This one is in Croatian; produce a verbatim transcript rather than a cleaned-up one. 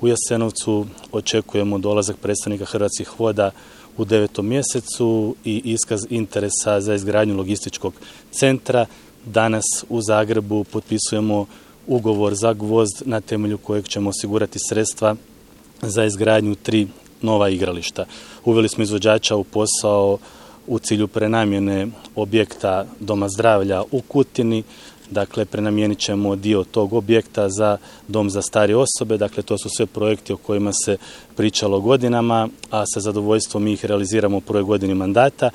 U Jasenovcu očekujemo dolazak predstavnika Hrvatskih voda u devetom mjesecu i iskaz interesa za izgradnju logističkog centra. Danas u Zagrebu potpisujemo ugovor za Gvozd na temelju kojeg ćemo osigurati sredstva za izgradnju tri nova igrališta. Uveli smo izvođača u posao u cilju prenamjene objekta Doma zdravlja u Kutini. Dakle, prenamijenit ćemo dio tog objekta za dom za starije osobe. Dakle, to su sve projekti o kojima se pričalo godinama, a sa zadovoljstvom mi ih realiziramo u prvoj godini mandata.